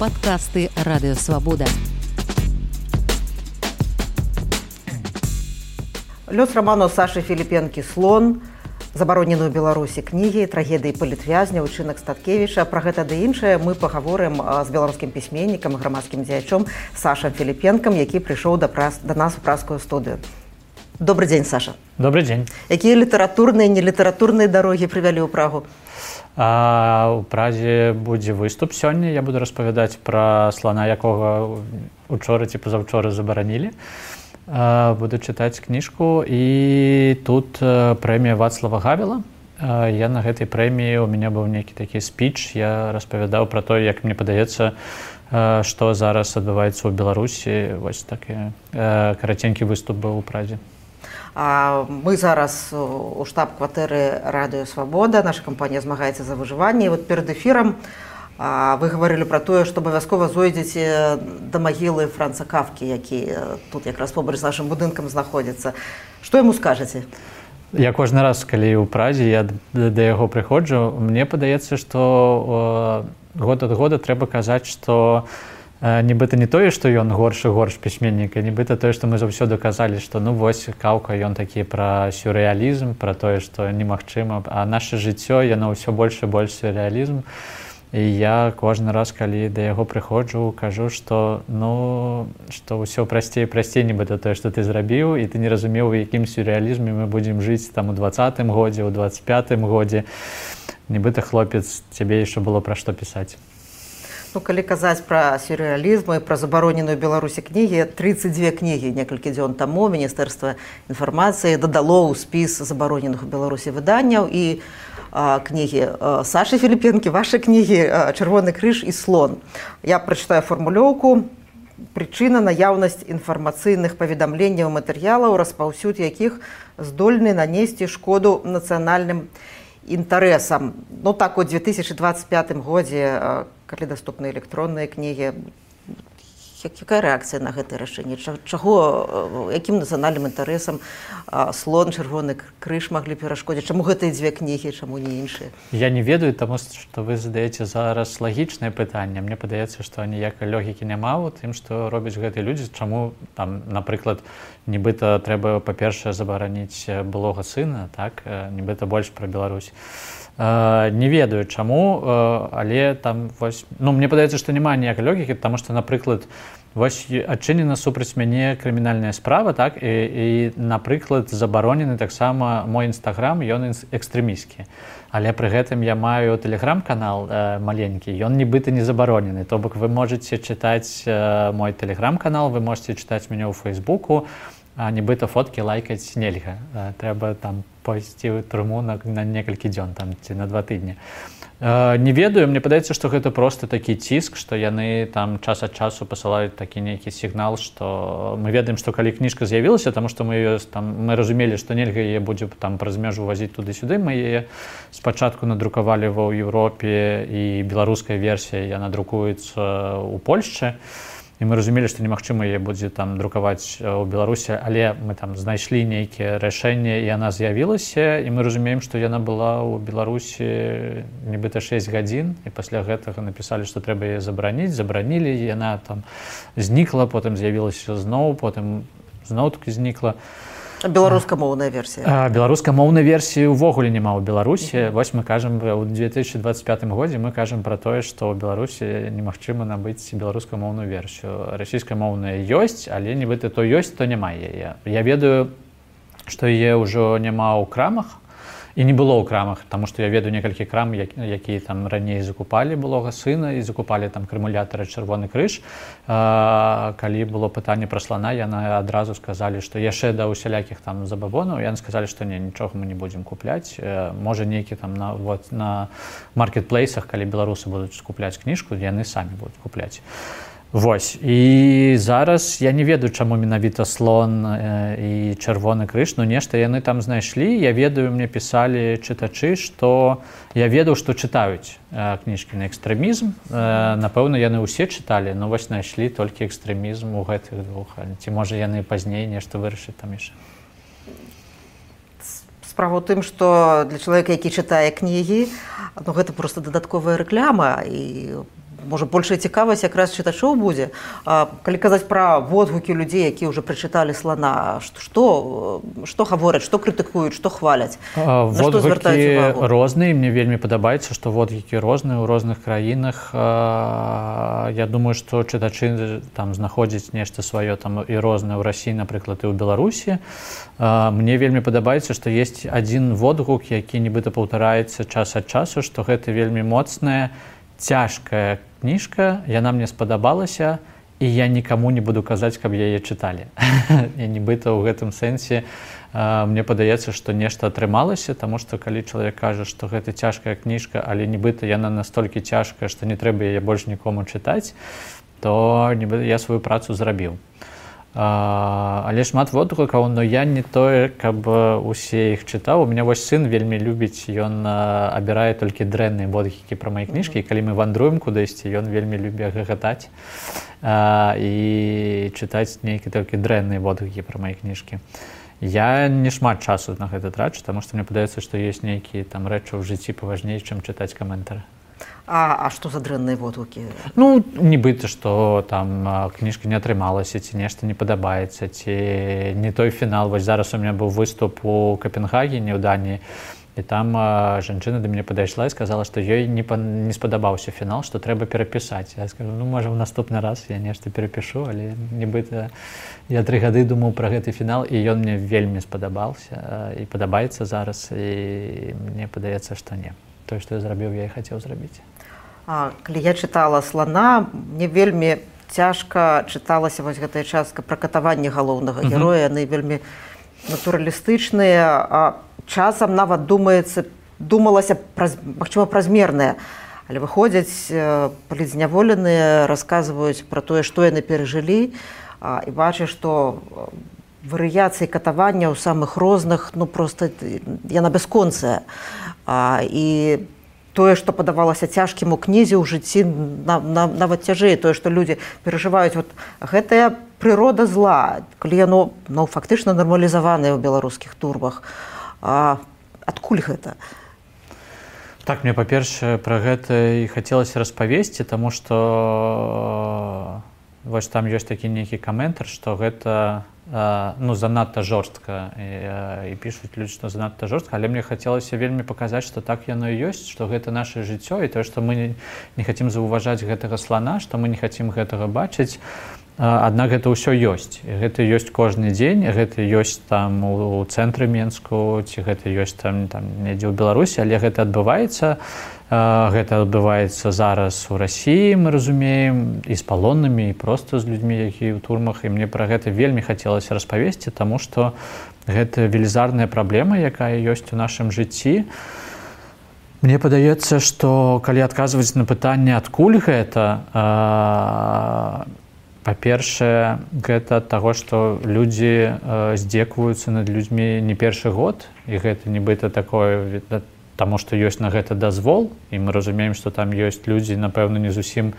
Падкасты Радыёвабода. Лёс раману Сашы Філіпенкі «Слон», забаронены ў Беларусі кнігі, трагедыі палітвязня, учынак Статкевіча. Пра гэта ды іншае мы пагаворым з беларускім пісьменнікам і грамадскім дзеячом Сашам Філіпенкам, які прыйшоў да нас у празскую студыю. Добрый дзень, Саша. Добрый дзень. Якія літаратурныя і нелітаратурныя дарогі прывялі ў Прагу? У Празе будзе выступ сёння. Я буду распавядаць пра слана, якога учора ці пазаўчора забаранілі. Буду чытаць кніжку. І тут прэмія Вацлава Гавела. Я на гэтай прэміі, у мяне быў нейкі такі спіч. Я распавядаў пра тое, як мне падаецца, што зараз адбываецца ў Беларусі. Вось такі караценькі выступ быў у Празе. Мы зараз у штаб-кватэры Радыёвабода. Наша кампанія змагаецца за выжыванне. І вот перад эфірам вы гаварылі пра тое, што абавязкова зойдзеце да магілы Франца Кафкі, які тут якраз побач з нашым будынкам знаходзіцца. Што яму скажаце? Я кожны раз, калі ў Празе, я да яго прыходжу, мне падаецца, што год ад года трэба казаць, што нібыта не тое, што ён горш і горш пісьменнік, а нібыта тое, што мы заўсёды казалі, што ну вось Каўка, ён такі пра сюррэалізм, пра тое, што немагчыма, а наша жыццё, яно ўсё больш і больш сюррэалізм. І я кожны раз, калі да яго прыходжу, кажу, што што ўсё прасцей, нібыта тое, што ты зрабіў, і ты не разумеў, у якім сюррэалізме мы будзем жыць там у 20-м годзе, у 25-м годзе. Нібыта хлопец, цябе яшчэ было пра што пісаць. Калі казаць пра сюррэалізм і пра забароненую Беларусі кнігі, 32 кнігі некалькі дзён таму Міністэрства інфармацыі дадало ў спіс забароненых у Беларусі выданняў і кнігі Сашы Філіпенкі, вашы кнігі «Чырвоны крыж» і «Слон». Я прачытаю фармулёўку. Прычына наяўнасць інфармацыйных паведамленняў і матэрыялаў, распаўсюд якіх здольны нанесці шкоду нацыянальным інтарэсам. Так у 2025 годзе, калі даступны электронныя кнігі, якая рэакцыя на гэтае рашэнне? Якім нацыянальным інтарэсам «Слон», «Чырвоны крыж» маглі перашкодзіць? Чаму гэтыя дзве кнігі, чаму не іншыя? Я не ведаю, таму што вы задаеце зараз лагічнае пытанне. Мне падаецца, што ніякай логікі няма ў тым, што робяць гэтыя людзі. Чаму, напрыклад, нібыта трэба, па-першае, забараніць былога сына, так? Нібыта больш пра Беларусь. Не ведаю чаму, але там вось, мне падаецца, што няма ніякай логікі, таму што, напрыклад, вось адчынена супраць мяне крымінальная справа, так, і напрыклад, забаронены таксама мой інстаграм, ён экстрэмісцкі. Але пры гэтым я маю тэлеграм-канал маленькі, ён нібыта не забаронены. То бок вы можаце чытаць мой тэлеграм-канал, вы можаце чытаць мяне ў Фейсбуку, а нібыта фоткі лайкаць нельга. Трэба там пойсці ў турму на некалькі дзён ці на 2 тыдні. Не ведаю, мне падаецца, што гэта проста такі ціск, што яны там час ад часу пасылаюць такі нейкі сігнал, што мы ведаем, што калі кніжка з'явілася, таму што мы разумелі, што нельга яе будзе там праз мяжу вазіць туды-сюды. Мы яе спачатку надрукавалі ва Еўропе, і беларуская версія яна друкуецца ў Польшчы. І мы разумелі, што немагчыма яе будзе там друкаваць у Беларусі, але мы там знайшлі нейкія рашэнні, і яна з'явілася, і мы разумеем, што яна была ў Беларусі нібыта 6 гадзін, і пасля гэтага напісалі, што трэба яе забараніць, забаранілі, яна там знікла, потым з'явілася зноў, потым зноў-такі знікла. Беларускамоўная версія. Беларускамоўнай версіі ўвогуле няма ў Беларусі. Вось мы кажам, у 2025 годзе мы кажам пра тое, што ў Беларусі немагчыма набыць беларускамоўную версію. Расійскамоўная ёсць, але нібыта то ёсць, то няма яе. Я ведаю, што яе ўжо няма ў крамах, і не было ў крамах, таму што я ведаю некалькі крам, якія там раней закупалі былога сына і закупалі там крымулятары «Чырвоны крыж». Калі было пытанне пра слана, яны адразу сказалі, што яшчэ да усялякіх там забабонаў, яны сказалі, што нічога мы не будзем купляць. Можа, нейкі там на маркетплейсах, калі беларусы будуць купляць кніжку, яны самі будуць купляць. Вось. І зараз я не ведаю, чаму менавіта «Слон» і «Чырвоны крыж», нешта яны там знайшлі. Я ведаю, мне пісалі чытачы, што я ведаў, што чытаюць кніжкі на экстрэмізм. Напэўна, яны ўсе чыталі, но вось знайшлі толькі экстрэмізм у гэтых двух. Ці можа яны пазней нешта вырашаць там яшчэ. Справа ў тым, што для чалавека, які чытае кнігі, гэта проста дадатковая рэклама, і можа, большая цікавасць якраз чытачоў будзе. Калі казаць пра водгукі людзей, якія ўжо прачыталі «Слана», што гавораць, што крытыкуюць, што хваляць? Водгукі розныя, мне вельмі падабаецца, што водгукі розныя ў розных краінах. Я думаю, што чытачы там знаходзяць нешта сваё там і рознае ў Расіі, напрыклад, і ў Беларусі. Мне вельмі падабаецца, што ёсць адзін водгук, які нібыта паўтараецца час ад часу, што гэта вельмі моцная, цяжкая кніжка, яна мне спадабалася, і я нікаму не буду казаць, каб яе чыталі. І нібыта ў гэтым сэнсе мне падаецца, што нешта атрымалася, таму што калі чалавек кажа, што гэта цяжкая кніжка, але нібыта яна настолькі цяжкая, што не трэба яе больш нікому чытаць, то нібыта я сваю працу зрабіў. Але шмат водгукаў, но я не тое, каб усе іх чытаў. У мяне вось сын вельмі любіць, ён абірае толькі дрэнныя водгукі пра мае кніжкі, і калі мы вандруем кудысьці, ён вельмі любіць гагатаць і чытаць нейкія толькі дрэнныя водгукі пра мае кніжкі. Я не шмат часу на гэта трачу, таму што мне падаецца, што ёсць нейкія там рэчы ў жыцці паважней, чым чытаць каментары. А што за дрэнныя водгукі? Ну, нібыта, што там кніжка не атрымалася, ці нешта не падабаецца, ці не той фінал. Вось зараз у меня быў выступ у Капенгагене, ў Даніі, і там жанчына да мяне падайшла і сказала, што ёй не спадабаўся фінал, што трэба перапісаць. Я скажу, ну, можа, ў наступны раз я нешта перапішу, але нібыта я 3 гады думаў пра гэты фінал, і ён мне вельмі спадабаўся і падабаецца зараз, і мне падаецца, што не. Тое, што я зрабіў, я і хацеў зрабіць. Калі я чытала «Слана», мне вельмі цяжка чыталася вось гэтая частка пра катаванне галоўнага героя. Яны вельмі натуралістычныя, часам нават думалася, магчыма, празмерныя. Але выходзяць палізняволеныя, расказваюць пра тое, што яны перажылі, і бачыш, што варыяцыі катавання ў самых розных, ну, проста яна бясконцая. І тое, што падавалася цяжкім у кнізе, ў жыцці нават цяжэй. Тое, што людзі перажываюць, вот гэтая прырода зла, калі яно, ну, фактычна нармалізаванае ў беларускіх турбах. Адкуль гэта? Так, мне, па-першае, пра гэта і хацелася распавесці, таму што вось там ёсць такі нейкі каментар, што гэта ну, занадта жорстка, і пішуць людзі, што занадта жорстка, але мне хацелася вельмі паказаць, што так яно і ёсць, што гэта наша жыццё, і тое, што мы не хацім заўважаць гэтага слана, што мы не хацім гэтага бачыць, аднак гэта ўсё ёсць. І гэта ёсць кожны дзень, гэта ёсць там у цэнтры Менску, ці гэта ёсць там недзе ў Беларусі, але гэта адбываецца. Гэта адбываецца зараз у Расіі, мы разумеем, і з палоннымі, і проста з людзьмі, якія ў турмах. І мне пра гэта вельмі хацелася распавесці, таму што гэта велізарная праблема, якая ёсць у нашым жыцці. Мне падаецца, што калі адказваць на пытанне, адкуль гэта, па-першае, гэта ад таго, што людзі здзекваюцца над людзьмі не першы год, і гэта нібыта такое, таму што ёсць на гэта дазвол, і мы разумеем, што там ёсць людзі, напэўна, не зусім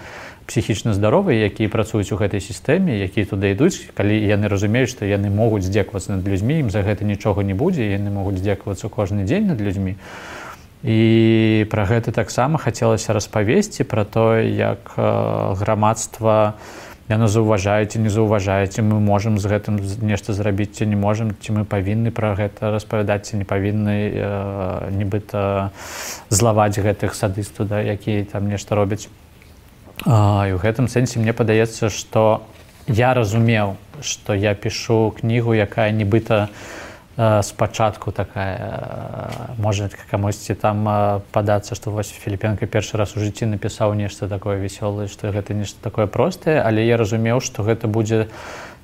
псіхічна здаровыя, якія працуюць у гэтай сістэме, якія туды ідуць, калі яны разумеюць, што яны могуць здзеквацца над людзьмі, ім за гэта нічога не будзе, яны могуць здзеквацца кожны дзень над людзьмі. І пра гэта таксама хацелася распавесці, пра тое, як грамадства яно заўважае ці не заўважае, ці мы можам з гэтым нешта зрабіць, ці не можам, ці мы павінны пра гэта распавядаць, ці не павінны нібыта злаваць гэтых садыстаў, да, якія там нешта робяць. І ў гэтым сэнсе мне падаецца, што я разумеў, што я пішу кнігу, якая нібыта спачатку такая, можа камусьці там падацца, што вось Філіпенка першы раз у жыцці напісаў нешта такое весёлае, што гэта нешта такое простае, але я разумеў, што гэта будзе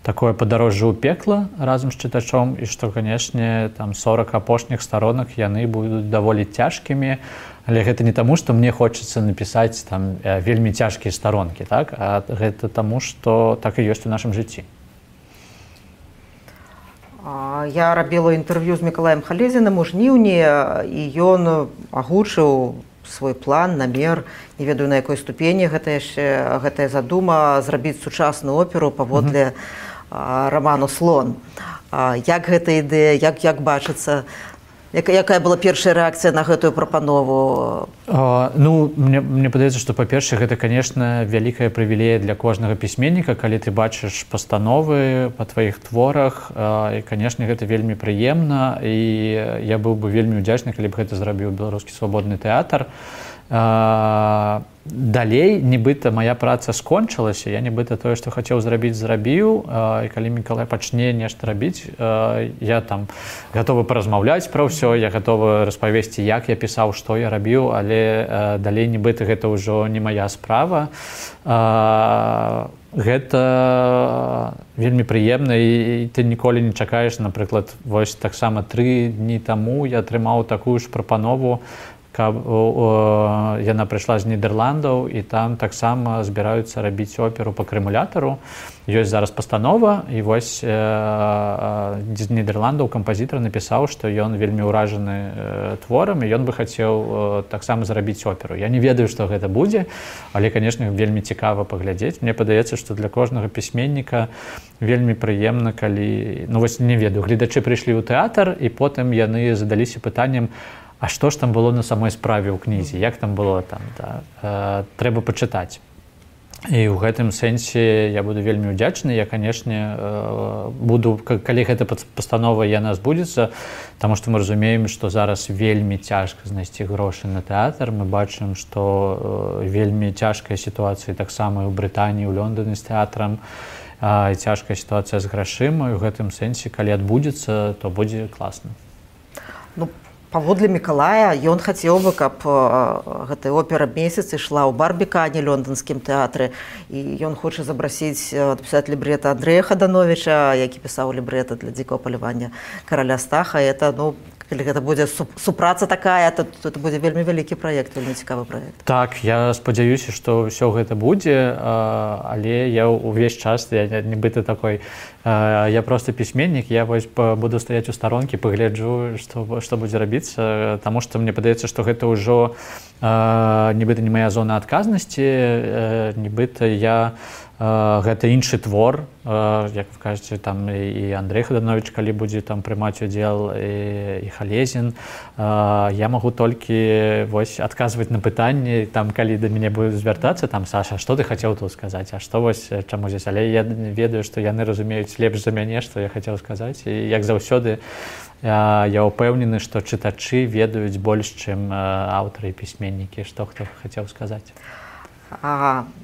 такое падарожжа ў пекла разам з чытачом, і што, канешне, там 40 апошніх старонак яны будуць даволі цяжкімі, але гэта не таму, што мне хочацца напісаць там вельмі цяжкія старонкі, так? А гэта таму, што так і ёсць у нашым жыцці. Я рабіла інтэрв'ю з Мікалаем Халезінам у жніўні, і ён агучыў свой план, намер, не ведаю, на якой ступені гэтая задума зрабіць сучасную оперу паводле раману «Слон». Як гэта ідэя, як бачыцца? Якая была першая рэакцыя на гэтую прапанову? Ну, мне падаецца, што, па-першае, гэта, конечно, вялікая прывілея для кожнага пісьменніка, калі ты бачыш пастановы па тваіх творах, і, конечно, гэта вельмі прыемна, і я быў бы вельмі ўдзячны, калі б гэта зрабіў Беларускі свабодны тэатр. Далей, нібыта, моя праца скончылася, я нібыта тое, што хацеў зрабіць, зрабіў, і калі Мікалай пачне нешта рабіць, я там гатовы паразмаўляць пра ўсё, я гатовы распавесці, як я пісаў, што я рабіў, але далей нібыта гэта ўжо не моя справа. Гэта вельмі прыемна, і ты ніколі не чакаеш, напрыклад, вось таксама 3 дні таму я атрымаў такую ж прапанову, каб яна прыйшла з Нідерландаў, і там таксама збіраюцца рабіць оперу па крэмулятару. Ёсць зараз пастанова, і вось з Нідерландаў кампазітар напісаў, што ён вельмі ўражаны творам, і ён бы хацеў таксама зрабіць оперу. Я не ведаю, што гэта будзе, але, канешне, вельмі цікава паглядзець. Мне падаецца, што для кожнага пісьменніка вельмі прыемна, калі, ну вось не ведаю, гледачы прыйшлі ў тэатр, і потым яны задаліся пытаннем, а што ж там было на самой справе ў кнізе, як там было там, да? Трэба пачытаць. І ў гэтым сэнсе я буду вельмі ўдзячны, я, канешне, буду, калі гэта пастанова яна збудзецца, таму што мы разумеем, што зараз вельмі цяжка знайсці грошы на тэатр, мы бачым, што вельмі цяжкая сітуацыя таксама і ў Брытаніі, ў Лондоне з тэатрам, і цяжкая сітуацыя з грашыма, і ў гэтым сэнсе, калі адбудзецца, то будзе класна. Ну, паводле Мікалая, ён хацеў бы, каб гэтая опера «Месяц» ішла ў Барбікане, лондонскім тэатры, і ён хоча запрасіць напісаць лібрэта Андрэя Хадановіча, які пісаў лібрэта для «Дзікага палявання караля Стаха». Это, ну, калі гэта будзе супраца такая, то это будзе вельмі вялікі праект, вельмі цікавы праект. Так, я спадзяюся, што ўсё гэта будзе, але я ўвесь час, я нібыта такой, я просто пісьменнік, я вось буду стаяць у старонкі, пагляджу, што будзе рабіцца, таму што мне падаецца, што гэта ўжо нібыта не моя зона адказнасці, нібыта я гэта іншы твор, як вы кажаце, там і Андрэй Хадановіч, калі будзе там прымаць удзел, і Халезін, я магу толькі вось адказваць на пытанні, там калі да мяне будуць звяртацца, там Саша, што ты хацеў тут сказаць, а што вось чаму здесь, але я ведаю, што яны разумеюць лепш за мяне, што я хацеў сказаць, і як заўсёды я ўпэўнены, што чытачы ведаюць больш, чым аўтары і пісьменнікі, што хто хацеў сказаць.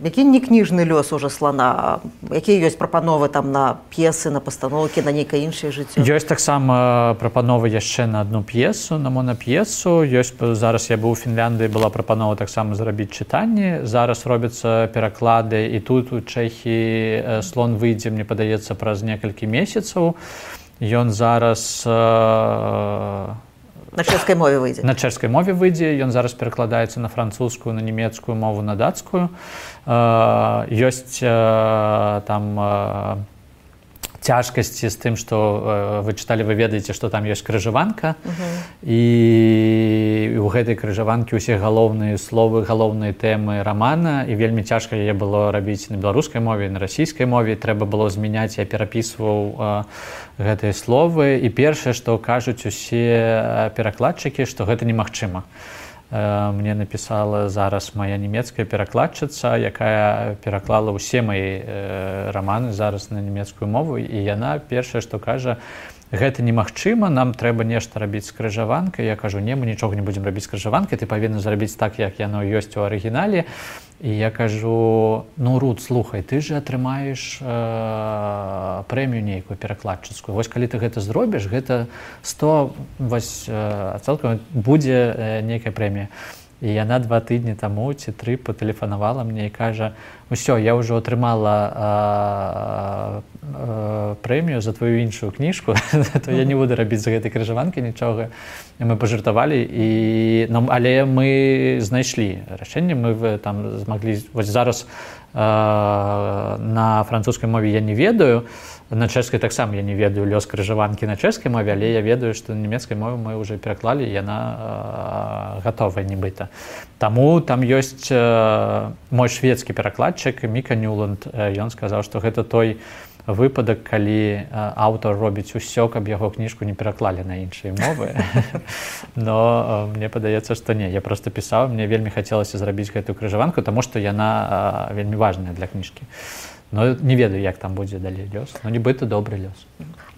Які не кніжны лёс уже слана? Якія ёсць прапановы там на п'есы, на пастаноўкі, на нейкае іншае жыццё? Ёсць таксама прапановы яшчэ на адну п'есу, на монап'есу. Зараз я быў у Фінляндыі, была прапанова таксама зрабіць чытанні. Зараз робяцца пераклады, і тут у Чэхіі «Слон» выйдзе, мне падаецца, праз некалькі месяцаў. Ён зараз на чэшскай мове выйдзе. На чэшскай мове выйдзе, ён зараз перакладаецца на французскую, на нямецкую мову, на дацкую. Ёсць там цяжкасці з тым, што вы чыталі, вы ведаеце, што там ёсць крыжаванка, і ў гэтай крыжаванкі ўсе галоўныя словы, галоўныя тэмы рамана, і вельмі цяжка яе было рабіць на беларускай мове, на расійскай мове, трэба было змяняць, я перапісваў гэтыя словы, і першае, што кажуць усе перакладчыкі, што гэта немагчыма. Мне напісала зараз моя нямецкая перакладчыца, якая пераклала ўсе мои раманы зараз на нямецкую мову, і яна першае, што кажа, гэта немагчыма, нам трэба нешта рабіць з крыжаванкай. Я кажу, не, мы нічога не будзем рабіць з крыжаванкай, ты павінна зрабіць так, як яно ёсць у арыгінале. І я кажу, ну, Рут, слухай, ты же атрымаеш прэмію нейкую перакладчыцкую. Вось калі ты гэта зробіш, гэта 100 адсоткаў будзе нейкая прэмія. І яна 2 тыдні таму ці 3 патэлефанавала мне і кажа, усё, я ўжо атрымала прэмію за твою іншую кніжку, то я не буду рабіць з гэтай крыжаванкі нічога. І мы пажартавалі, але мы знайшлі рашэнне, мы там змаглі, вось зараз на французскай мове я не ведаю, На чэшскай таксама я не ведаю лёс крыжаванкі на чэшскай мове, але я ведаю, што на нямецкай мове мы ўжо пераклалі, яна гатовая нібыта. Таму там ёсць мой шведскі перакладчык Міка Нюланд, ён сказаў, што гэта той выпадак, калі аўтар робіць усё, каб яго кніжку не пераклалі на іншыя мовы. Но мне падаецца, што не, я проста пісаў, мне вельмі хацелася зрабіць гэтую крыжаванку, таму што яна вельмі важная для кніжкі. Но не ведаю, як там будзе далей лёс, но нібыта добры лёс.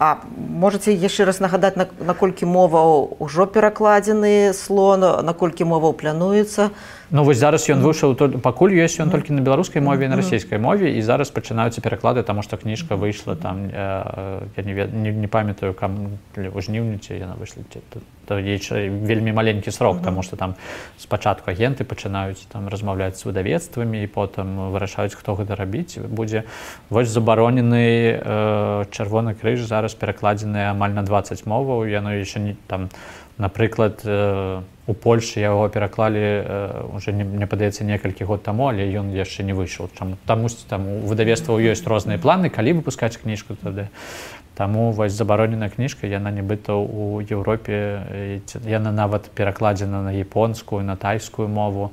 А можаце яшчэ раз нагадаць, наколькі моваў ужо перакладзены слон, наколькі моваў плануецца? Ну вось зараз ён выйшаў, пакуль ёсць ён толькі на беларускай мове і на расійскай мове, і зараз пачынаюцца пераклады, таму што кніжка выйшла там, я не памятаю, у жніўні ці яна выйшла, вельмі маленькі срок, таму што там спачатку агенты пачынаюць там размаўляць з выдавецтвамі і потым вырашаюць, хто гэта рабіць будзе. Вось забаронены Чырвоны крыж зараз перакладзены амаль на 20 моваў, яно яшчэ не там, напрыклад, у Польшы яго пераклалі уже, мне падаецца, некалькі год таму, але ён яшчэ не выйшаў. Тамусьці там у выдавецтваў ёсць розныя планы, калі выпускаць кніжку тады. Таму вось забароненая кніжка, яна нібыта ў Еўропе, яна нават перакладзена на японскую, на тайскую мову,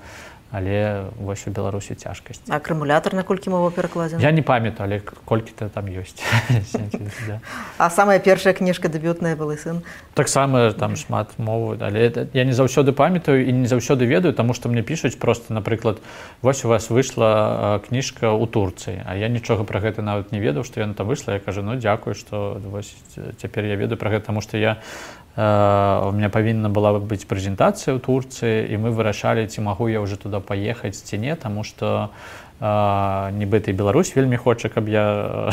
але вось у Беларусі цяжкасць. А акумулятар на колькі моваў перакладзена? Я не памятаю, але колькі-то там ёсць. А самая першая кніжка дэбютная «Былы сын»? Таксама там шмат моваў, але я не заўсёды памятаю і не заўсёды ведаю, таму што мне пішуць проста, напрыклад, вось у вас выйшла кніжка ў Турцыі, а я нічога пра гэта нават не ведаў, што яна там выйшла. Я кажу, ну дзякую, што вось цяпер я ведаю пра гэта, таму што у меня павінна была быць прэзентацыя ў Турцыі, і мы вырашалі, ці магу я ўжо туды паехаць ці не, таму што нібыта і Беларусь вельмі хоча, каб я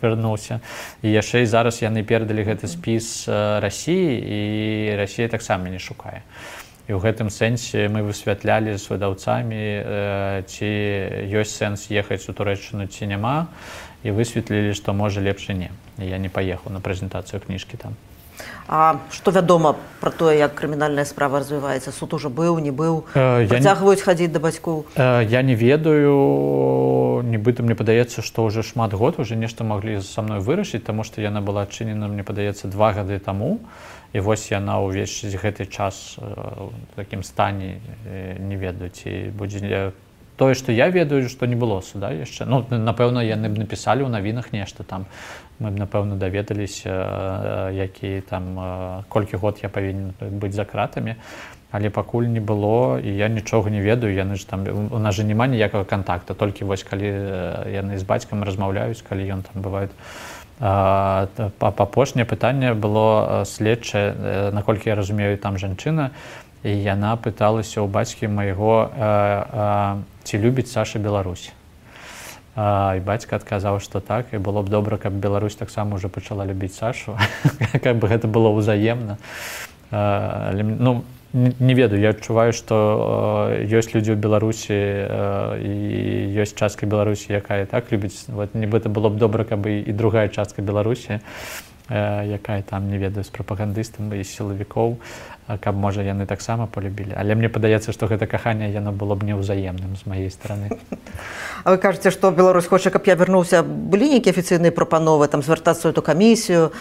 вярнуўся. І яшчэ і зараз яны перадалі гэты спіс Расіі, і Расія таксама не шукае. І ў гэтым сэнсе мы высвятлялі з выдаўцамі, ці ёсць сэнс ехаць у Турэччыну ці няма, і высветлілі, што можа лепш і не. І я не паехаў на прэзентацыю кніжкі там. А што вядома пра тое, як крымінальная справа развіваецца? Суд ужо быў, не быў? Працягваюць хадзіць да бацькоў? Я не ведаю, нібыта мне падаецца, што ўжо шмат год уже нешта маглі са мной вырашыць, таму што яна была адчынена, мне падаецца, 2 гады таму. І вось яна ўвесь гэты час у такім стане, не ведаю, ці будзе тое, што я ведаю, што не было суда яшчэ. Ну, напэўна, яны б напісалі ў навінах нешта там. Мы б, напэўна, даведаліся, які там, колькі год я павінен быць за кратамі, але пакуль не было, і я нічога не ведаю, яны ж там, у нас жа няма ніякага кантакта, толькі вось калі яны з бацькам размаўляюць, калі ён там бывае. Апошняе пытанне было следчае, наколькі я разумею, там жанчына, і яна пыталася ў бацькі майго, ці любіць Саша Беларусь. І бацька адказаў, што так, і было б добра, каб Беларусь таксама ўжо пачала любіць Сашу, каб гэта было ўзаемна. Ну, не ведаю, я адчуваю, што ёсць людзі ў Беларусі і ёсць частка Беларусі, якая так любіць. Нібыта было б добра, каб і другая частка Беларусі, якая там, не ведаю, з прапагандыстам і сілавікоў, каб, можа, яны таксама полюбілі. Але мне падаецца, што гэта каханне, яно было б неўзаемным з маёй стараны. А вы кажаце, што Беларусь хоча, каб я вярнуўся. Былі нейкія афіцыйныя прапановы, там, звяртацца ў эту камісію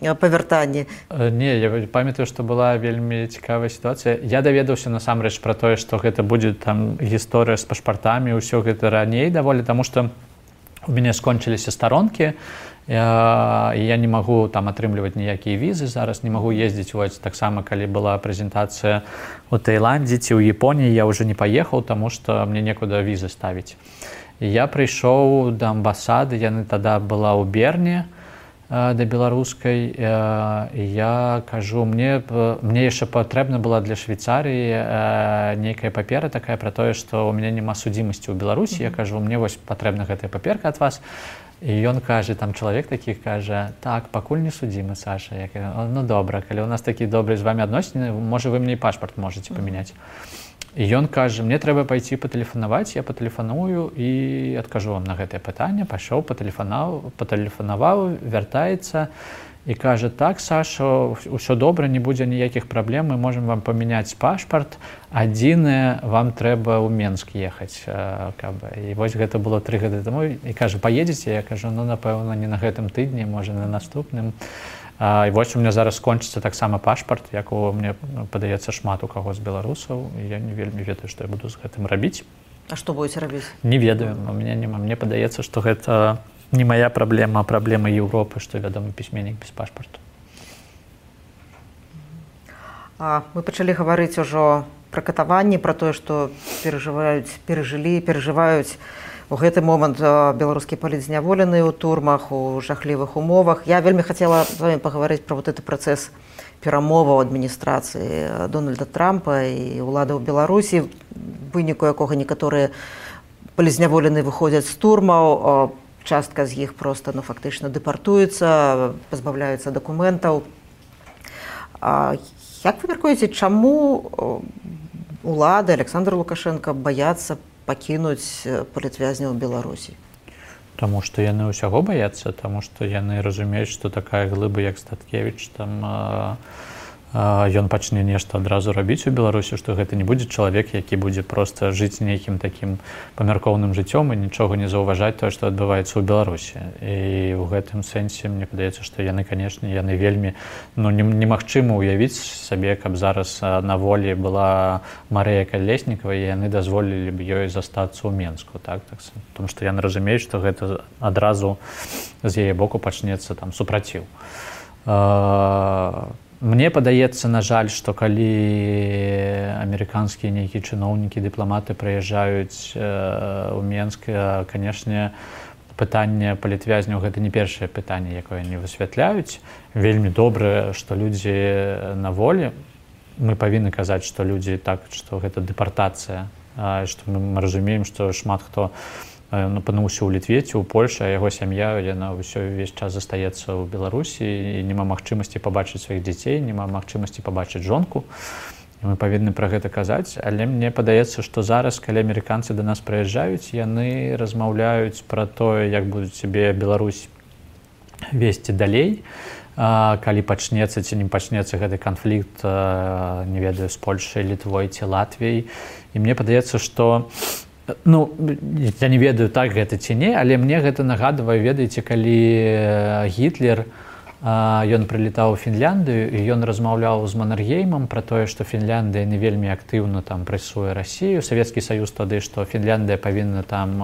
па вяртанні? Не, я памятаю, што была вельмі цікавая сітуацыя. Я даведаўся насамрэч пра тое, што гэта будзе там гісторыя з пашпартамі, ўсё гэта раней даволі, таму што у мяне скончыліся старонкі, я не магу там атрымліваць ніякія візы, зараз не магу ездзіць. Вось таксама, калі была прэзентацыя ў Таіландзе ці ў Японіі, я ўжо не паехаў, таму што мне некуды візы ставіць. І я прыйшоў да амбасады, яны тада была ў Берне, да беларускай, і я кажу, мне яшчэ патрэбна была для Швейцарыі нейкая папера такая пра тое, што ў мяне няма судзімасці ў Беларусі. Я кажу, мне вось патрэбна гэтая паперка ад вас. І ён кажа, там чалавек такі кажа, так, пакуль не судзімы, Саша. Я кажу, ну добра, калі у нас такі добрыя з вамі адносіны, можа, вы мне і пашпарт можаце памяняць. І ён кажа, мне трэба пайці патэлефанаваць, я патэлефаную і адкажу вам на гэтае пытанне. Пайшоў, патэлефанаваў, вяртаецца і кажа: так, Саша, ўсё добра, не будзе ніякіх праблем, мы можам вам памяняць пашпарт, адзінае, вам трэба ў Менск ехаць. І вось гэта было 3 гады таму, і кажа: паедзеце? Я кажу: ну, напэўна, не на гэтым тыдні, можа, на наступным. І вось у меня зараз скончыцца таксама пашпарт, якого мне падаецца шмат у каго з беларусаў, і я не вельмі ведаю, што я буду з гэтым рабіць. А што будзеце рабіць? Не ведаю, у меня няма. Мне падаецца, што гэта не моя праблема, а праблема Еўропы, што вядомы пісьменнік без пашпарту. Мы пачалі гаварыць ужо пра катаванні, пра тое, што перажываюць у гэты момант беларускія палітзняволеныя ў турмах, у жахлівых умовах. Я вельмі хацела з вами пагаварыць пра вот гэты працэс перамоваў адміністрацыі Дональда Трампа і ўлады ў Беларусі, выніку якога некаторыя палітзняволеныя выходзяць з турмаў, частка з іх проста фактычна дэпартуецца, пазбаўляюцца дакументаў. Як вы мяркуеце, чаму улады Александр Лукашенко баяцца пакінуць палітвязняў Беларусі? Таму што яны ўсяго баяцца, таму што яны разумеюць, што такая глыба, як Статкевіч, там ён пачне нешта адразу рабіць у Беларусі, што гэта не будзе чалавек, які будзе проста жыць нейкім такім памяркоўным жыццём і нічога не заўважаць тое, што адбываецца ў Беларусі. І ў гэтым сэнсе мне падаецца, што яны, канешне, яны вельмі, немагчыма ўявіць сабе, каб зараз на волі была Марыя Калеснікава, і яны дазволілі б ёй застацца ў Менску, так? Тому што яны разумеюць, што гэта адразу з яе боку пачнецца там супраціў. Мне падаецца, на жаль, што калі амерыканскія нейкія чыноўнікі, дыпламаты прыязджаюць у Менск, канешне, пытанне палітвязняў гэта не першае пытанне, якое они высвятляюць. Вельмі добра, што людзі на волі. Мы павінны казаць, што людзі так, што гэта дэпартацыя, што мы разумеем, што шмат хто апынуўся ў Літве ці ў Польшы, а яго сям'я, яна ўвесь час застаецца ў Беларусі, і няма магчымасці пабачыць сваіх дзяцей, няма магчымасці пабачыць жонку. І мы павінны пра гэта казаць, але мне падаецца, што зараз, калі амерыканцы да нас прыязджаюць, яны размаўляюць пра тое, як будуць сябе Беларусь весці далей, калі пачнецца ці не пачнецца гэты канфлікт, не ведаю, з Польшай, Літвой ці Латвіяй. І мне падаецца, што я не ведаю, так гэта ці не, але мне гэта нагадвае, ведаеце, калі Гітлер, ён прылетаў у Фінляндыю, і ён размаўляў з Маннергеймам пра тое, што Фінляндыя не вельмі актыўна там прэсуе Расію, Савецкі Саюз тады, што Фінляндыя павінна там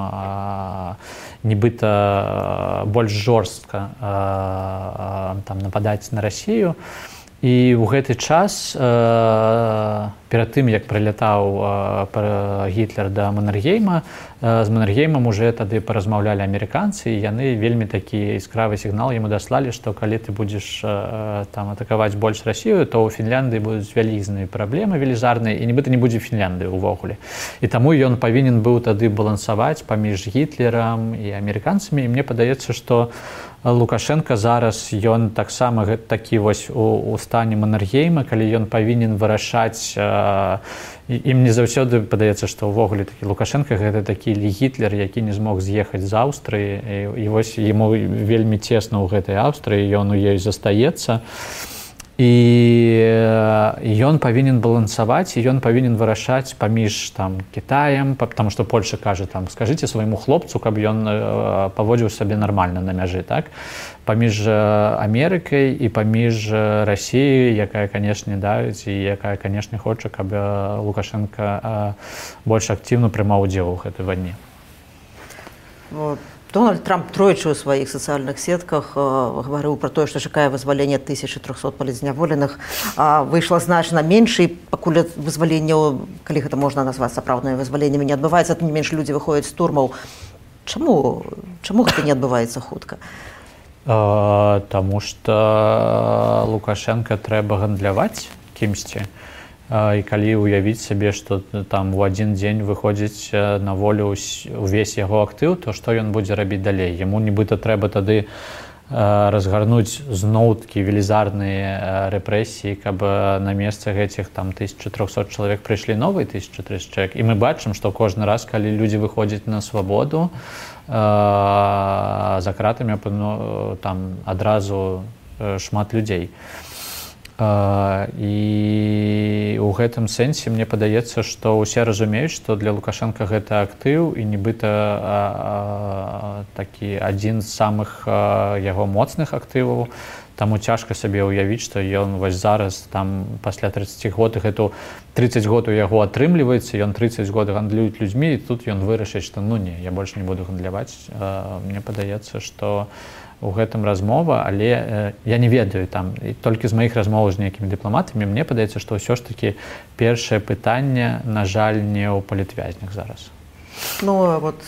нібыта больш жорстка там нападаць на Расію. І ў гэты час, перад тым, як прылятаў Гітлер да Маннергейма, з Маннергеймам уже тады паразмаўлялі амерыканцы, і яны вельмі такі яскравы сігнал яму даслалі, што калі ты будзеш там атакаваць больш Расію, то ў Фінляндыі будуць вялізныя праблемы велізарныя, і нібыта не будзе Фінляндыі ўвогуле. І таму ён павінен быў тады балансаваць паміж Гітлерам і амерыканцамі, і мне падаецца, што Лукашенко зараз, ён таксама такі вось у стане Маннергейма, калі ён павінен вырашаць, і мне заўсёды падаецца, што ўвогуле такі Лукашенко гэта такі Гітлер, які не змог з'ехаць з Аўстрыі, і вось яму вельмі цесна ў гэтай Аўстрыі, ён у ёй застаецца. І ён павінен балансаваць, і ён павінен вырашаць паміж там Кітаем, потому што Польша кажа там: скажыце свайму хлопцу, каб ён паводзіў сабе нармальна на мяжы, так? Паміж Амерыкай і паміж Расіяй, якая, канешне, давіць, і якая, канешне, хоча, каб Лукашенко больш актыўна прымаў удзел у гэтай вайне. Дональд Трамп тройчы ў сваіх сацыяльных сетках гаварыў пра тое, што чакае вызвалення 1300 палітзняволеных. Выйшла значна менш, і пакуль вызваленняў, калі гэта можна назваць сапраўднымі вызваленнямі, не адбываецца, тым не менш людзі выходзяць з турмаў. Чаму гэта не адбываецца хутка? Таму што Лукашенко трэба гандляваць кімсьці. І калі ўявіць сабе, што там у адзін дзень выходзіць на волю увесь яго актыў, то што ён будзе рабіць далей? Яму нібыта трэба тады разгарнуць зноў-такі велізарныя рэпрэсіі, каб на месца гэтых там 1300 чалавек прыйшлі новыя 1300 чалавек. І мы бачым, што кожны раз, калі людзі выходзяць на свабоду, за кратамі там адразу шмат людзей. І ў гэтым сэнсе мне падаецца, што ўсе разумеюць, што для Лукашенка гэта актыў і нібыта такі адзін з самых яго моцных актываў. Таму цяжка сабе ўявіць, што ён вось зараз там пасля 30 год, гэту 30 год у яго атрымліваецца, ён 30 год гандлююць людзьмі, і тут ён вырашыць, што ну не, я больш не буду гандляваць. Мне падаецца, што у гэтым размова, але я не ведаю там, і толькі з маіх размоваў з нейкімі дыпламатамі, мне падаецца, што ўсё ж такі першае пытанне, на жаль, не ў палітвязнях зараз. Ну, вот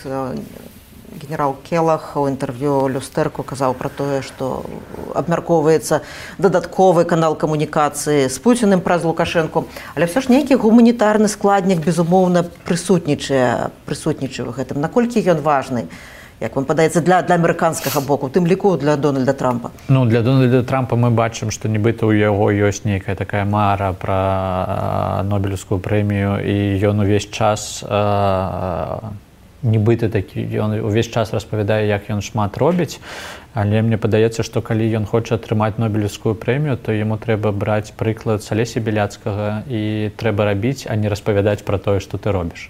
генерал Келах у інтэрв'ю Люстэрку казаў пра тое, што абмяркоўваецца дадатковы канал камунікацыі з Пуціним праз Лукашэнку, але ўсё ж нейкі гуманітарны складнік, безумоўна, прысутнічае ў гэтым. Наколькі ён важны, як вам падаецца, для амерыканскага боку, у тым ліку для Дональда Трампа? Ну, для Дональда Трампа мы бачым, што нібыта ў яго ёсць нейкая такая мара пра Нобелевскую прэмію, і ён увесь час нібыта такі, ён увесь час распавядае, як ён шмат робіць, але мне падаецца, што калі ён хоча атрымаць Нобелевскую прэмію, то яму трэба браць прыклад з Алеся Беляцкага, і трэба рабіць, а не распавядаць пра тое, што ты робіш.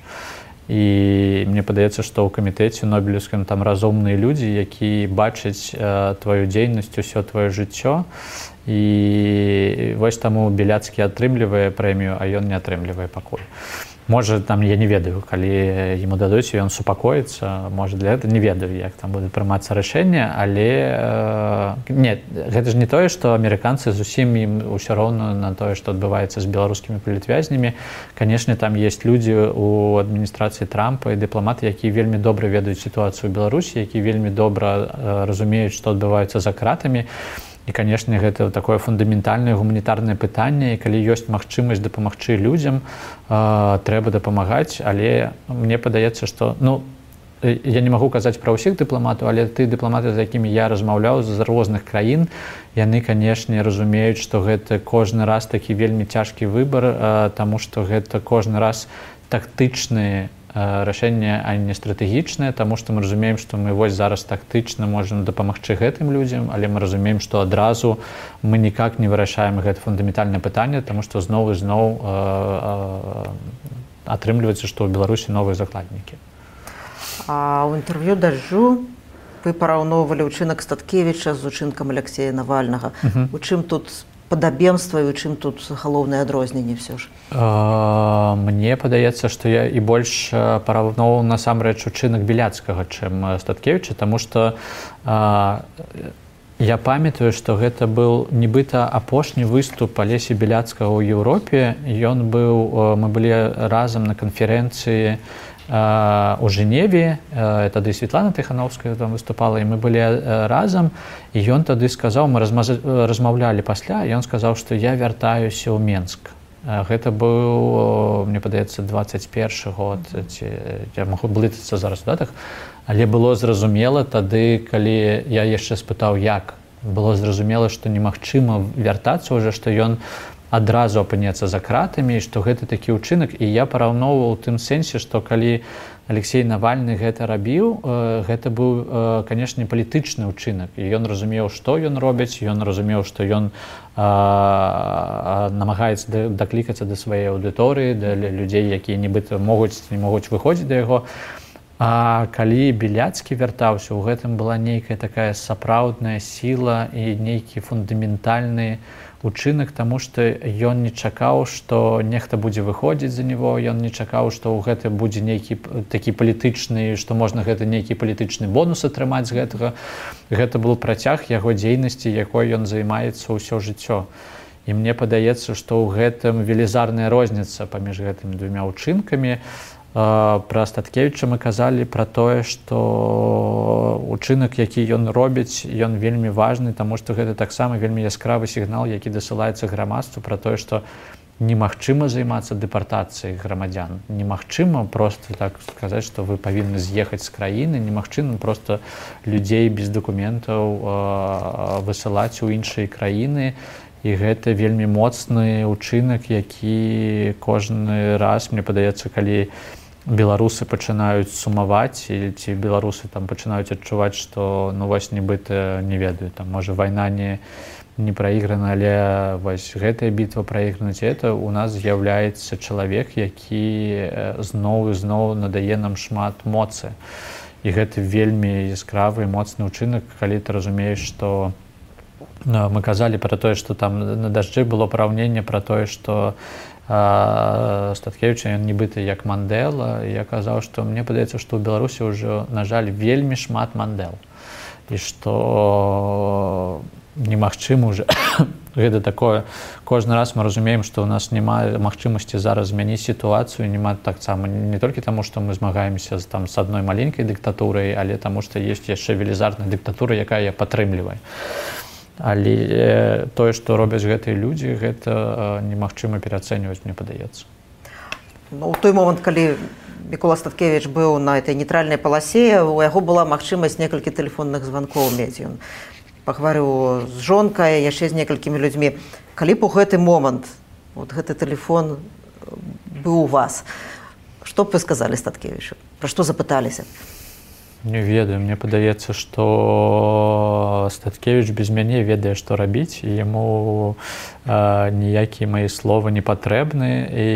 І мне падаецца, што ў камітэце Нобелевскім там разумныя людзі, які бачаць тваю дзейнасць, усё твоё жыццё, і вось таму Беляцкі атрымлівае прэмію, а ён не атрымлівае пакуль. Можа, там, я не ведаю, калі яму дадуць, ён супакоіцца, можа, для гэта не ведаю, як там будзе прымацца рашэнне, але не, гэта ж не тое, што амерыканцы зусім ім усё роўна на тое, што адбываецца з беларускімі палітвязнямі. Канешне, там ёсць людзі ў адміністрацыі Трампа і дыпламаты, якія вельмі добра ведаюць сітуацыю ў Беларусі, якія вельмі добра разумеюць, што адбываецца за кратамі. І, канешне, гэта такое фундаментальнае гуманітарнае пытанне, і калі ёсць магчымасць дапамагчы людзям, трэба дапамагаць, але мне падаецца, што, ну, я не магу казаць пра ўсіх дыпламатаў, але ты дыпламаты, з якімі я размаўляў з розных краін, яны, канешне, разумеюць, што гэта кожны раз такі вельмі цяжкі выбар, таму што гэта кожны раз тактычныя рашэнне, а не стратэгічнае, таму што мы разумеем, што мы вось зараз тактычна можам дапамагчы гэтым людзям, але мы разумеем, што адразу мы ніяк не вырашаем гэта фундаментальнае пытанне, таму што зноў і зноў атрымліваецца, што ў Беларусі новыя закладнікі. А ў інтэрв'ю «Дажджу» вы параўноўвалі ўчынак Статкевіча з учынкам Алексея Навальнага. У чым тут падабенства і у чым тут галоўнае адрозненне ўсё ж? Мне падаецца, што я і больш параўноўваў насамрэч учынак Беляцкага, чым Статкевіча, таму што я памятаю, што гэта быў нібыта апошні выступ Алесі Беляцкага ў Еўропе. Ён быў, мы былі разам на канферэнцыі у Жэневе, тады Светлана Тыхановская там выступала, і мы былі разам, і ён тады сказаў, мы размаўлялі пасля, і ён сказаў, што я вяртаюся ў Менск. Гэта быў, мне падаецца, 21 год, я магу блытацца зараз у датах, але было зразумела тады, калі я яшчэ спытаў, як, было зразумела, што немагчыма вяртацца ўжо, што ён адразу апынецца за кратамі, што гэта такі ўчынак, і я параўноўваў у тым сэнсе, што калі Алексей Навальны гэта рабіў, гэта быў, канешне, палітычны ўчынак, і ён разумеў, што ён робіць, ён разумеў, што ён намагаецца даклікацца да сваёй аўдыторыі, да людзей, якія нібыта могуць, не могуць выходзіць да яго. А калі Беляцкі вяртаўся, у гэтым была нейкая такая сапраўдная сіла і нейкі фундаментальны учынак, таму што ён не чакаў, што нехта будзе выходзіць за него, ён не чакаў, што ў гэта будзе нейкі такі палітычны, што можна гэта нейкі палітычны бонус атрымаць з гэтага. Гэта быў працяг яго дзейнасці, якой ён займаецца ўсё жыццё. І мне падаецца, што ў гэтым велізарная розніца паміж гэтымі двумя ўчынкамі. Пра Статкевіча мы казалі пра тое, што учынак, які ён робіць, ён вельмі важны, таму што гэта таксама вельмі яскравы сігнал, які дасылаецца грамадству пра тое, што немагчыма займацца дэпартацыяй грамадзян. Немагчыма проста так сказаць, што вы павінны з'ехаць з краіны, немагчыма проста людзей без дакументаў высылаць у іншыя краіны. І гэта вельмі моцны ўчынак, які кожны раз, мне падаецца, калі беларусы пачынаюць сумаваць, ці беларусы там пачынаюць адчуваць, што ну вось нібыта не ведаю, там можа вайна не не праіграна, але вось гэтая бітва праіграна, ці это у нас з'яўляецца чалавек, які зноў і зноў надае нам шмат моцы. І гэта вельмі яскравы і моцны ўчынак, калі ты разумееш, што мы казалі пра тое, што там на дажджы было параўненне пра тое, што Статкевіч, ён нібыта як Мандэла, і я казаў, што мне падаецца, што ў Беларусі ўжо, на жаль, вельмі шмат Мандэл. І што немагчыма ўжо гэта такое. Кожны раз мы разумеем, што ў нас няма магчымасці зараз змяніць сітуацыю, няма таксама не толькі таму, што мы змагаемся з адной маленькай дыктатурай, але таму, што ёсць яшчэ велізарная дыктатура, якая я падтрымліваю. Але тое, што робяць гэтыя людзі, гэта немагчыма пераацэньваць, мне падаецца. Ну, у той момант, калі Мікола Статкевіч быў на этой нейтральнай паласе, у яго была магчымасць некалькі тэлефонных званкоў мець. Ён пагаварыў з жонкай, яшчэ з некалькімі людзьмі. Калі б у гэты момант гэты тэлефон быў у вас, што б вы сказалі Статкевічу? Пра што запыталіся? Не ведаю, мне падаецца, што Статкевіч без мяне ведае, што рабіць, і яму ніякія мае словы не патрэбны, і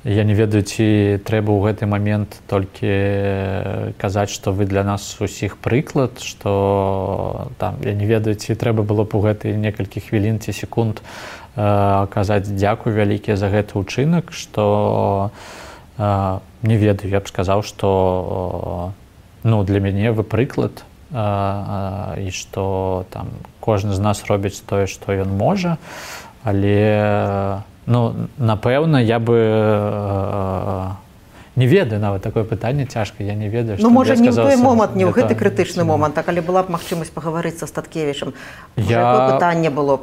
я не ведаю, ці трэба ў гэты момент толькі казаць, што вы для нас усіх прыклад, што там, я не ведаю, ці трэба было б у гэтыя некалькі хвілін ці секунд казаць дзякуй вялікія за гэты ўчынак, што не ведаю, я б сказаў, што для мяне вы прыклад, і што там кожны з нас робіць тое, што ён можа, але напэўна, я бы не ведаю нават такое пытанне цяжка, я не ведаю, што можа, не ў той момант, не ў гэты крытычны момант, а калі была б магчымасць пагаварыць са Статкевічам, якое пытанне было б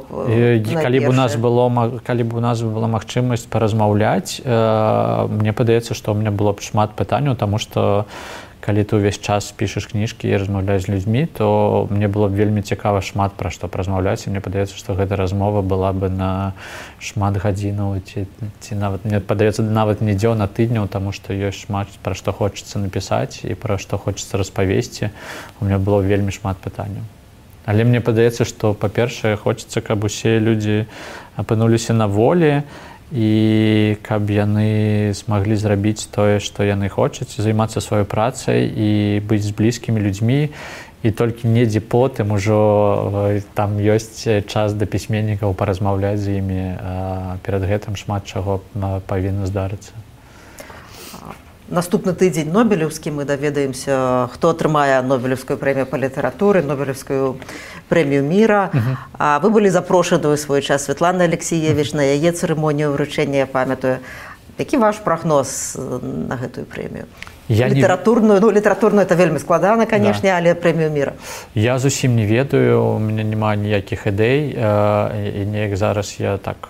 калі б у нас была магчымасць паразмаўляць, мне падаецца, што ў мяне было б шмат пытанняў, таму што калі ты ўвесь час пішаш кніжкі і размаўляеш з людзьмі, то мне было б вельмі цікава шмат пра што паразмаўляць, і мне падаецца, што гэта размова была бы на шмат гадзінаў, ці нават, мне падаецца, нават не дзён, а тыдняў, таму што ёсць шмат пра што хочацца напісаць і пра што хочацца распавесці. У мяне было вельмі шмат пытанняў. Але мне падаецца, што, па-першае, хочацца, каб усе людзі апынуліся на волі, і каб яны змаглі зрабіць тое, што яны хочуць, займацца сваёй працай і быць з блізкімі людзьмі, і толькі недзе потым ужо там ёсць час да пісьменнікаў паразмаўляць з імі, перад гэтым шмат чаго павінна здарыцца. Наступны тыдзень нобелеўскі, мы даведаемся, хто атрымае нобелеўскую прэмію па літаратуры, нобелеўскую прэмію міра. Вы былі запрошаны ў свой час Святланы Алексіевіч на яе цырымонію ўручэння, я памятаю. Які ваш прагноз на гэтую прэмію? Літаратурную это вельмі складана, канешне, але прэмію міра. Я зусім не ведаю, у мяне няма ніякіх ідэй, і неяк зараз я так...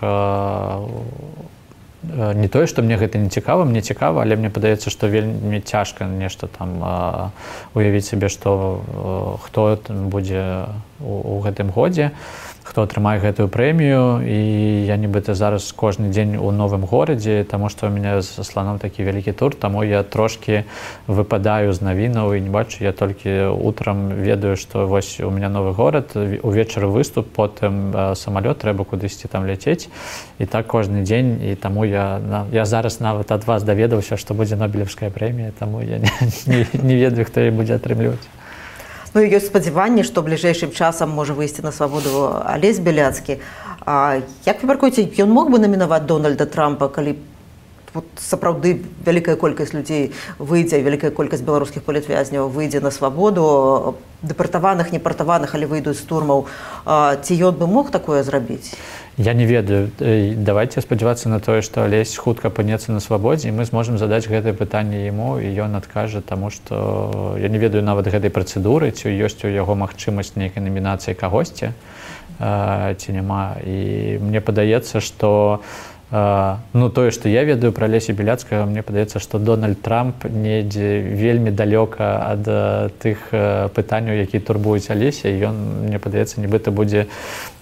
Не тое, што мне гэта не цікава, мне цікава, але мне падаецца, што вельмі цяжка нешта там уявіць сабе, што хто будзе у гэтым годзе, хто атрымае гэтую прэмію, і я нібыта зараз кожны дзень у новым горадзе, таму што ў мяне з сланом такі вялікі тур, таму я трошкі выпадаю з навінаў і не бачу, я толькі утрам ведаю, што вось у мяне новы горад, увечары выступ, потым самалёт, трэба кудысьці там ляцець, і так кожны дзень, і таму я зараз нават ад вас даведаўся, што будзе нобелеўская прэмія, таму я не ведаю, хто яе будзе атрымліваць. Ёсць спадзяванне, што бліжэйшым часам можа выйсці на свабоду Алесь Беляцкі. Як вы мяркуеце, ён мог бы намінаваць Дональда Трампа, калі сапраўды вялікая колькасць людзей выйдзе, вялікая колькасць беларускіх палітвязняў выйдзе на свабоду, дэпартаваных, непартаваных, але выйдуць з турмаў. Ці ён бы мог такое зрабіць? Я не ведаю. Давайте спадзявацца на тое, што Алесь хутка апынецца на свабодзе, і мы зможам задаць гэтае пытанне яму, і ён адкажа, таму што я не ведаю нават гэтай працэдуры, ці ёсць у яго магчымасць нейкай намінацыі кагосьці, ці няма. І мне падаецца, што тое, што я ведаю пра Алеся Беляцкага, мне падаецца, што Дональд Трамп недзе вельмі далёка ад тых пытанняў, якія турбуюць Алеся, і ён, мне падаецца, нібыта будзе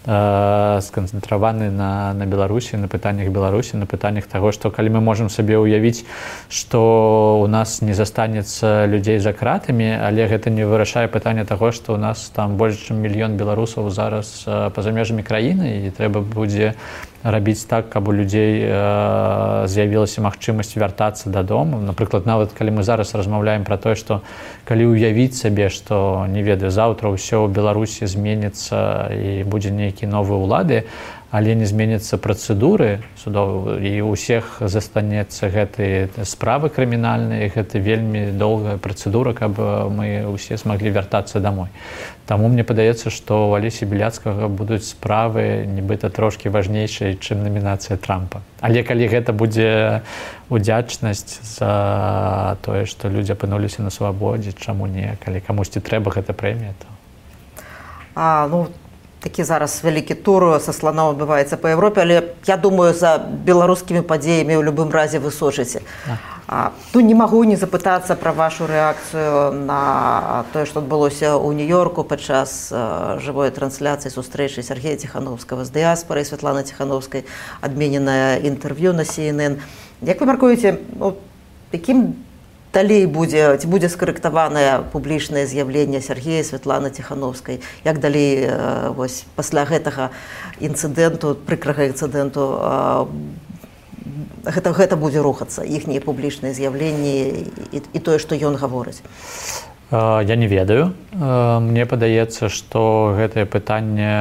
сканцэнтраваны на Беларусі, на пытаннях Беларусі, на пытаннях таго, што калі мы можам сабе ўявіць, што у нас не застанецца людзей за кратамі, але гэта не вырашае пытанне таго, што у нас там больш чым мільён беларусаў зараз па-за межамі краіны, і трэба будзе рабіць так, каб у людзей з'явілася магчымасць вяртацца дадому. Напрыклад, нават калі мы зараз размаўляем пра тое, што калі ўявіць сабе, што, не ведаю, заўтра ўсё ў Беларусі зменіцца і будзе нейкі новы ўлады, але не зменяцца працэдуры судовыя, і ў усіх застанецца гэтыя справы крымінальныя, гэта вельмі доўгая працэдура, каб мы ўсе змаглі вяртацца дамой. Таму мне падаецца, што ў Алесі Біляцкага будуць справы нібыта трошкі важнейшыя, чым намінацыя Трампа. Але калі гэта будзе удзячнасць за тое, што людзі апынуліся на свабодзе, чаму не? Калі камусьці трэба гэта прэмія, то... Такі зараз вялікі тур са сланом адбываецца па Еўропе, але я думаю, за беларускімі падзеямі ў любым разе вы сочыце. Не магу не запытацца пра вашу рэакцыю на тое, што адбылося ў Нью-Йорку падчас жывой трансляцыі сустрэчы Сергея Ціхановскага з дыяспарай, Святланы Ціхановскай, адмененае інтэрв'ю на CNN. Як вы мяркуеце, якім далей будзе, ці будзе скарэктаванае публічнае з'яўленне Сергея Святланы Ціхановскай? Як далей пасля гэтага інцыдэнту, прыкрага інцыдэнту, гэта будзе рухацца, іхнія публічныя з'яўленні і тое, што ён гаворыць? Я не ведаю. Мне падаецца, што гэтае пытанне,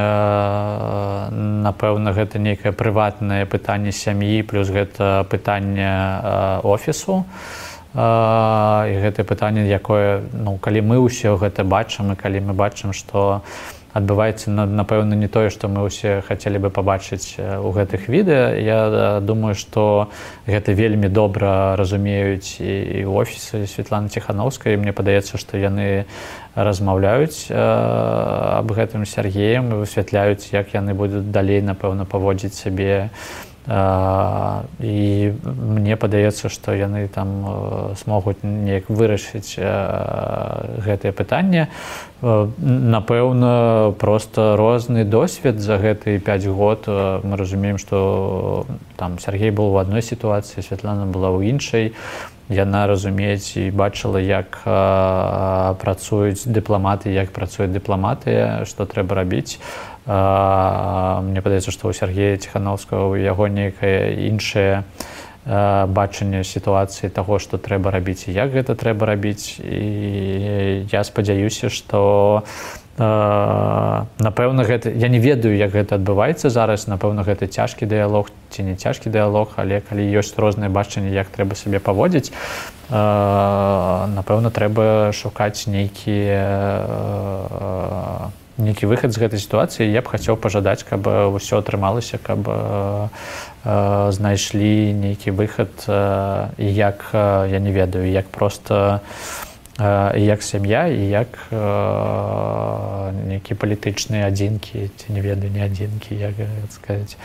напэўна, гэта нейкае прыватнае пытанне сям'і, плюс гэта пытанне офісу. І гэтае пытанне, якое, калі мы ўсё гэта бачым, і калі мы бачым, што адбываецца, напэўна, не тое, што мы ўсе хацелі бы пабачыць у гэтых відэа, я думаю, што гэта вельмі добра разумеюць і ў офісе Святланы Ціхановскай. Мне падаецца, што яны размаўляюць аб гэтым з Сергеем і высвятляюць, як яны будуць далей, напэўна, паводзіць сябе. І мне падаецца, што яны там смогуць неяк вырашыць гэтае пытанне. Напэўна, проста розны досвед за гэтыя 5 год. Мы разумеем, што там Сергей быў у адной сітуацыі, Святлана была ў іншай. Яна разумець і бачыла, як працуюць дыпламаты, як працуе дыпламатыя, што трэба рабіць. Мне падаецца, што ў Сергея Ціхановскага у яго нейкае іншае бачанне сітуацыі таго, што трэба рабіць і як гэта трэба рабіць. І я спадзяюся, што напэўна, гэта, я не ведаю, як гэта адбываецца зараз, напэўна, гэта цяжкі дыялог ці не цяжкі дыялог, але калі ёсць розныя бачанні, як трэба сабе паводзіць, напэўна, трэба шукаць нейкі выхад з гэтай сітуацыі. Я б хацеў пажадаць, каб усё атрымалася, каб знайшлі нейкі выхад, і як, я не ведаю, як проста і як сям'я, і як нейкія палітычныя адзінкі, ці не ведаю, не адзінкі, як сказаць.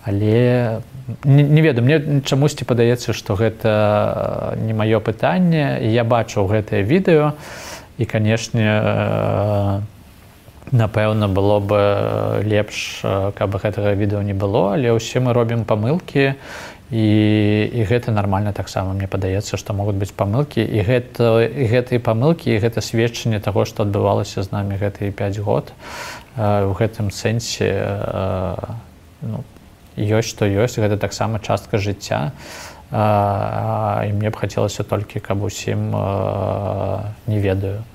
Але не ведаю, мне чамусьці падаецца, што гэта не маё пытанне, і я бачыў гэтае відэо, і, канешне, напэўна, было бы лепш, каб гэтага відэо не было, але ўсе мы робім памылкі, і гэта нармальна таксама. Мне падаецца, што могуць быць памылкі, і гэтыя памылкі, і гэта сведчанне таго, што адбывалася з намі гэтыя 5 год. У гэтым сэнсе ёсць, што ёсць, гэта таксама частка жыцця, і мне б хацелася толькі, каб усім, не ведаю,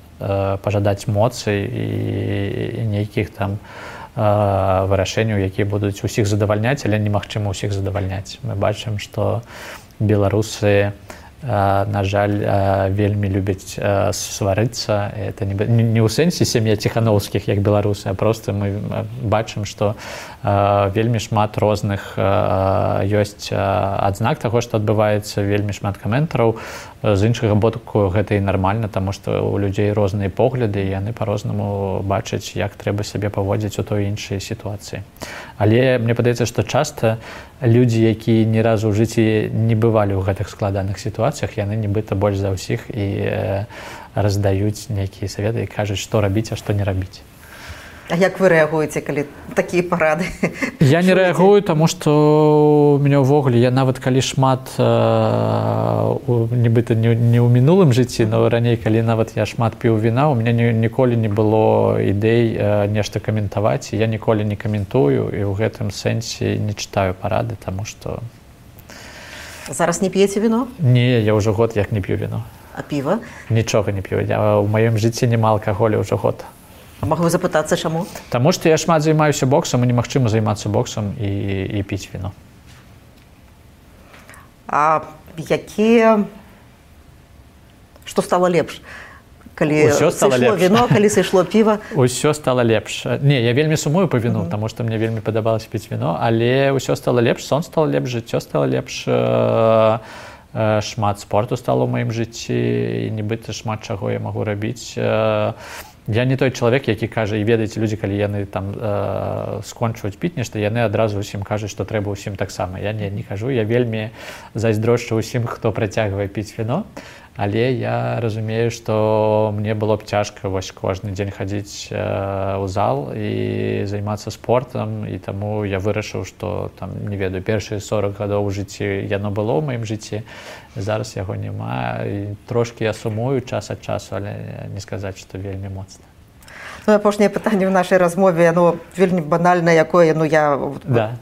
пажадаць моцы і нейкіх там вырашэнняў, якія будуць усіх задавальняць, але немагчыма ўсіх задавальняць. Мы бачым, што беларусы, на жаль, вельмі любяць сварыцца. Это не ў сэнсе сям'я Ціхановскіх, як беларусы, а проста мы бачым, што вельмі шмат розных ёсць адзнак таго, што адбываецца, вельмі шмат каментараў. З іншага боку, гэта і нармальна, таму што у людзей розныя погляды, і яны па-рознаму бачаць, як трэба сябе паводзіць у той іншай сітуацыі. Але мне падаецца, што часта людзі, якія ні разу ў жыцці не бывалі ў гэтых складаных сітуацыях, яны нібыта больш за ўсіх і раздаюць нейкія саветы і кажуць, што рабіць, а што не рабіць. А як вы рэагуеце, калі такія парады? Я не рэагую, таму што у мяне ўвогуле, я нават калі шмат, нібыта не ў мінулым жыцці, но раней, калі нават я шмат піў віна, у мяне ніколі не было ідэй нешта каментаваць, і я ніколі не каментую, і ў гэтым сэнсе не чытаю парады, таму што... Зараз не п'еце віно? Не, я ўжо год як не п'ю віно. А піва? Нічога не п'ю. У маім жыцці няма алкаголю ўжо год. А магу запытацца, чаму? Таму што я шмат займаюся боксам, і немагчыма займацца боксам і піць віно. А якія... Што стала лепш? Калі сышло віно, калі сышло піва? Усё стала лепш. Не, я вельмі сумую па віну, таму што мне вельмі падабалася піць віно, але ўсё стала лепш, сон стала лепш, жыццё стала лепш, шмат спорту стало ў маім жыцці, і нібыта шмат чаго я магу рабіць. Я не той чалавек, які кажа, і ведаеце, людзі, калі яны там скончваюць піць нешта, яны адразу ўсім кажуць, што трэба ўсім таксама. Я не кажу, я вельмі зайздрошчу ўсім, хто працягвае піць віно, але я разумею, што мне было б цяжка вось кожны дзень хадзіць у зал і займацца спортам, і таму я вырашыў, што там, не ведаю, першыя 40 гадоў у жыцці яно было ў маім жыцці, зараз яго няма, і трошкі я сумую час ад часу, але не сказаць, што вельмі моцна. Ну, апошняе пытанне ў нашай размове, яно вельмі банальна, якое, ну, я... Да.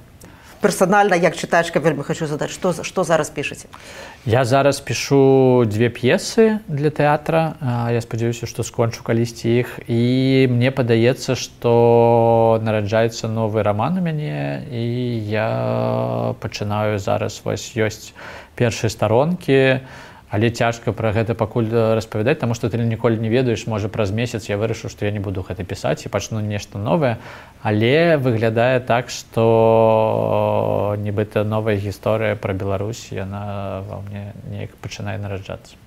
Персанальна, як чытачка, вельмі хочу задаць, што зараз пішаце? Я зараз пішу 2 п'есы для тэатра, я спадзяюся, што скончу калісьці іх, і мне падаецца, што нараджаецца новы раман у мяне, і я пачынаю зараз, вось ёсць першыя старонкі, але цяжка пра гэта пакуль распавядаць, таму што ты ніколі не ведаеш, можа праз месяц я вырашыў, што я не буду гэта пісаць і пачну нешта новае, але выглядае так, што нібыта новая гісторыя пра Беларусь, яна ва мне неяк пачынае нараджацца.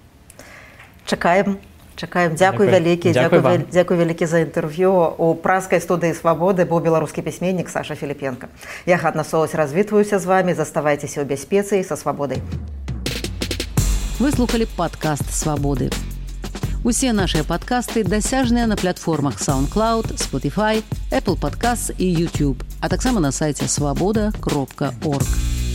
Чакаем. Дзякуй вялікі. Дзякуй вялікі за інтэрв'ю. У праскай студыі «Свабоды» быў беларускі пісьменнік Саша Філіпенка. Я Ганна Соус развітваюся з вамі. Заставайцеся ў бяспецы і са свабодай. Вы слухали падкаст «Свабоды». Усе нашыя падкасты дасяжныя на платформах SoundCloud, Spotify, Apple Podcasts і YouTube, а таксама на сайце swaboda.org.